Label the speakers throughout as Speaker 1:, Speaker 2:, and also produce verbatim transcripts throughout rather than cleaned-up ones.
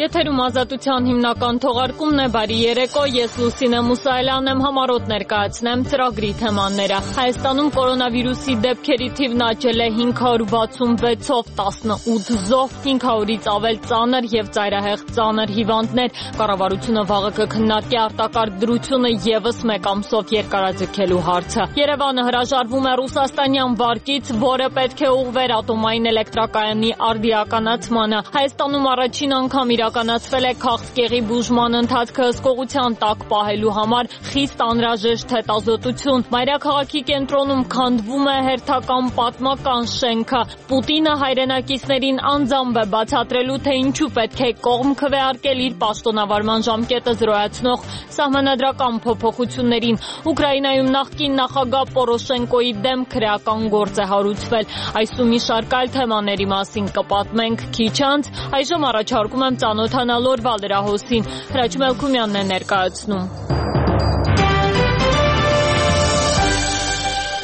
Speaker 1: Եթերում Ազատության հիմնական թողարկումն է, բարի երեկո, ես Լուսինե Մուսայելյանն եմ, համառոտ ներկայացնեմ ծրագրի թեմաները։ Հայաստանում կորոնավիրուսի դեպքերի թիվն աճել է հինգ հարյուր վաթսունվեցով, տասնութ զոհ, հինգ հարյուրից ավել ծանր եւ ծայրահեղ ծանր հիվանդներ։ Կառավարությունը վաղը կքննարկի արտակարգ դրությունը եւս մեկ ամսով երկարաձգելու հարցը։ Երևանը հրաժարվում է ռուսաստանյան վարկից, որը պետք է ուղղվեր ատոմային էլեկտրակայանի արդիականացմանը։ Հայաստանում առաջին անգամ իրականացվել է քաղցկեղի բուժման ընթացքը հսկողության տակ պահելու համար խիստ անհրաժեշտ հետազոտություն։ Մայրաքաղաքի կենտրոնում քանդվում է հերթական պատմական շենքը։ Պուտինը հայրենակիցներին անձամբ է բացատրելու, թե ինչու պետք է կողմ քվեարկել իր պաշտոնավարման ժամկետը զրոյացնող սահմանադրական փոփոխություններին։ Ուկրաինայում նախկին նախագահ Պորոշենկոյի դեմ քրեական գործ է հարուցվել։ Այս ու մի շարք այլ թեմաների մասին կպատմենք քիչ անց։ Այժմ առաջարկում եմ ծանոթանալ օրվա լրահոսին։ Հրաչ Մելքումյանն է ներկայացնում։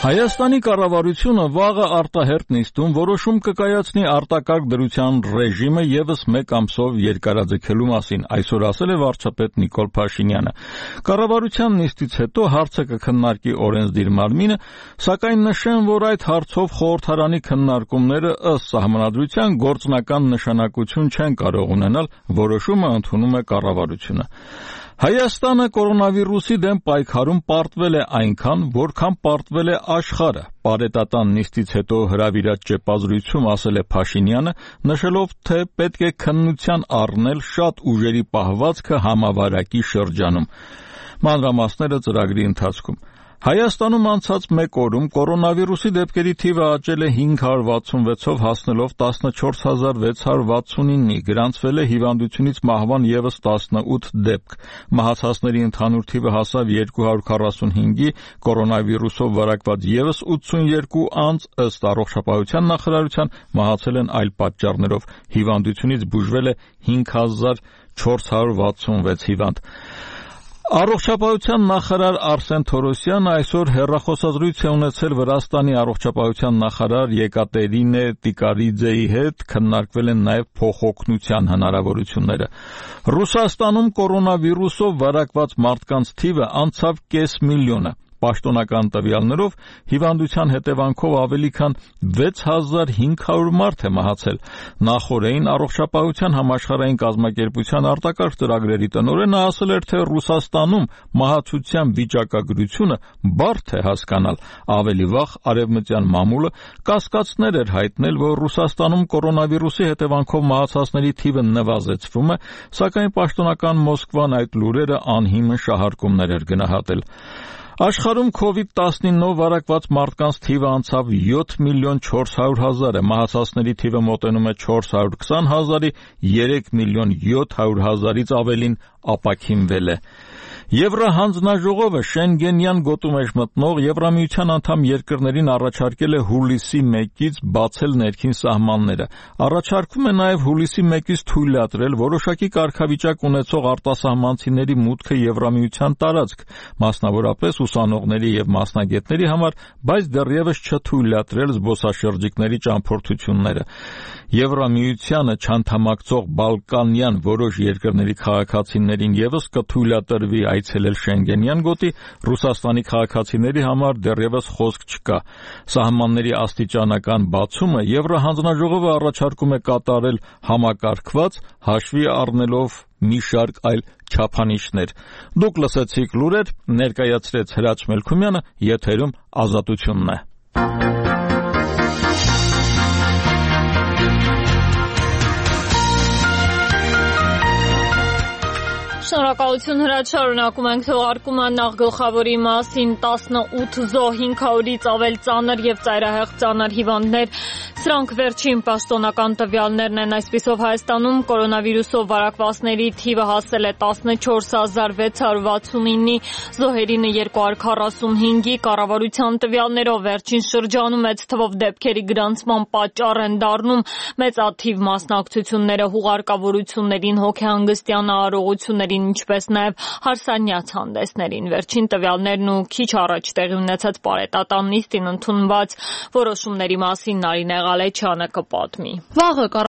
Speaker 2: Հայաստանի կառավարությունը վաղը արտահերթ նիստում որոշում կկայացնի արտակարգ դրության ռեժիմը եւս մեկ ամսով երկարաձգելու մասին, այսօր ասել է վարչապետ Նիկոլ Փաշինյանը։ Կառավարության նիստից հետո հարցը կքննարկի օրենսդիր մարմինը, սակայն նշեմ, որ այդ հարցով խորհրդարանի քննարկումները ըստ սահմանադրության գործնական նշանակություն չեն կարող ունենալ, որոշումը ընդունում է կառավարությունը։ Հայաստանը կորոնավիրուսի դեմ պայքարում պարտվել է այնքան, որքան պարտվել է աշխարհը։ Պարետատան նիստից հետո հրավիրած ճեպազրույցում ասել է Փաշինյանը, նշելով, թե պետք է քննության առնել շատ ուժերի պահվածքը համավարակի շրջանում։ Մանրամասները ծրագրի ընթացքում։ Հայաստանում անցած մեկ օրում կորոնավիրուսի դեպքերի թիվը աճել է հինգ հարյուր վաթսունվեցով հասնելով տասնչորս հազար վեց հարյուր վաթսունինի, գրանցվել է հիվանդությունից մահվան եւս տասնութ դեպք։ Մահացածների ընդհանուր թիվը հասավ երկու հարյուր քառասունհինգի, կորոնավիրուսով վարակված եւս ութսունյերկու անձ, ըստ առողջապահության նախարարության, մահացել են այլ պատճառներով։ Հիվանդությունից բուժվել է հինգ հազար չորս հարյուր վաթսունվեց հիվանդ։ Առողջապահության նախարար Արսեն Թորոսյանը այսօր հեռախոսազրույց է ունեցել Վրաստանի առողջապահության նախարար Եկատերինե Տիկարիձեի հետ, քննարկվել են նաև փոխօգնության հնարավորությունները։ Ռուսաստանում կորոնավիրուսով վարակված մարդկանց թիվը անցավ կես միլիոնը։ Պաշտոնական տվյալներով հիվանդության հետևանքով ավելի քան վեց հազար հինգ հարյուր մարդ է մահացել։ Նախորդին առողջապահության համաշխարհային կազմակերպության արտակարգ ծրագրերի տնօրենը ասել էր, թե Ռուսաստանում մահացության վիճակագրությունը բարդ է հասկանալ։ Ավելի վաղ արևմտյան մամուլը կասկածներ էր հայտնել, որ Ռուսաստանում կորոնավիրուսի հետևանքով մահացածների թիվը նվազեցվում է, սակայն պաշտոնական Մոսկվան այդ լուրերը անհիմն շահարկումներ էր գնահատել։ Աշխարհում կովիդ տասնինով վարակված մարդկանց թիվը անցավ յոթ միլիոն չորս հարյուր հազարը, մահացածների թիվը մոտենում է չորս հարյուր քսան հազարի, երեք միլիոն յոթ հարյուր հազարից ավելին ապաքինվել է։ Եվրահանձնաժողովը Շենգենյան գոտու մեջ մտնող Եվրամիության անդամ երկրներին առաջարկել է հուլիսի մեկից բացել ներքին սահմանները։ Առաջարկվում է նաև հուլիսի մեկից թույլատրել որոշակի կարգավիճակ ունեցող արտասահմանցիների մուտքը Եվրամիության տարածք, մասնավորապես ուսանողների եւ մասնագետների համար, բայց դեռևս չթույլատրել զբոսաշրջիկների ճամփորդությունները։ Եվրամիությանը չանդամակցող բալկանյան որոշ երկրների քաղաքացիներին եւս կթույլատրվի այցելել Շենգենյան գոտի, Ռուսաստանի քաղաքացիների համար դեռևս խոսք չկա։ Սահմանների աստիճանական բացումը Եվրահանձնաժողովը առաջարկում է կատարել համակարգված, հաշվի առնելով մի շարք այլ չափանիշներ։ Դուք լսեցիք լուրեր, ներկայացրեց Հրաչ Մելքումյանը, եթերում Ազատությունն է։
Speaker 1: Շնորհակալություն Հրաչ, շարունակում ենք թողարկումը նախ գլխավորի մասին։ տասնութ զոհ, հինգ հարյուրից ավել ծանր եւ ծայրահեղ ծանր հիվանդներ։ Սրանք վերջին պաշտոնական տվյալներն են։ Այսպիսով Հայաստանում կորոնավիրուսով վարակվածների թիվը հասել է տասնչորս հազար վեց հարյուր վաթսունինի, զոհերինը երկու հարյուր քառասունհինգի, կառավարության տվյալներով վերջին շրջանում մեծ թվով դեպքերի գրանցման պատճառ են դառնում մեծաթիվ մասնակցությունները հուղարկավորություններին, հոգեհանգստյան արարողություններին, ինչպես նաև հարսանյաց հանդեսներին։ Վերջին տվյալներն ու քիչ առաջ տեղի ունեցած պարետատան նիստին ընդունված որոշումների մասին Նարինե Ղալեչյանը կպատմի։
Speaker 3: Վաղը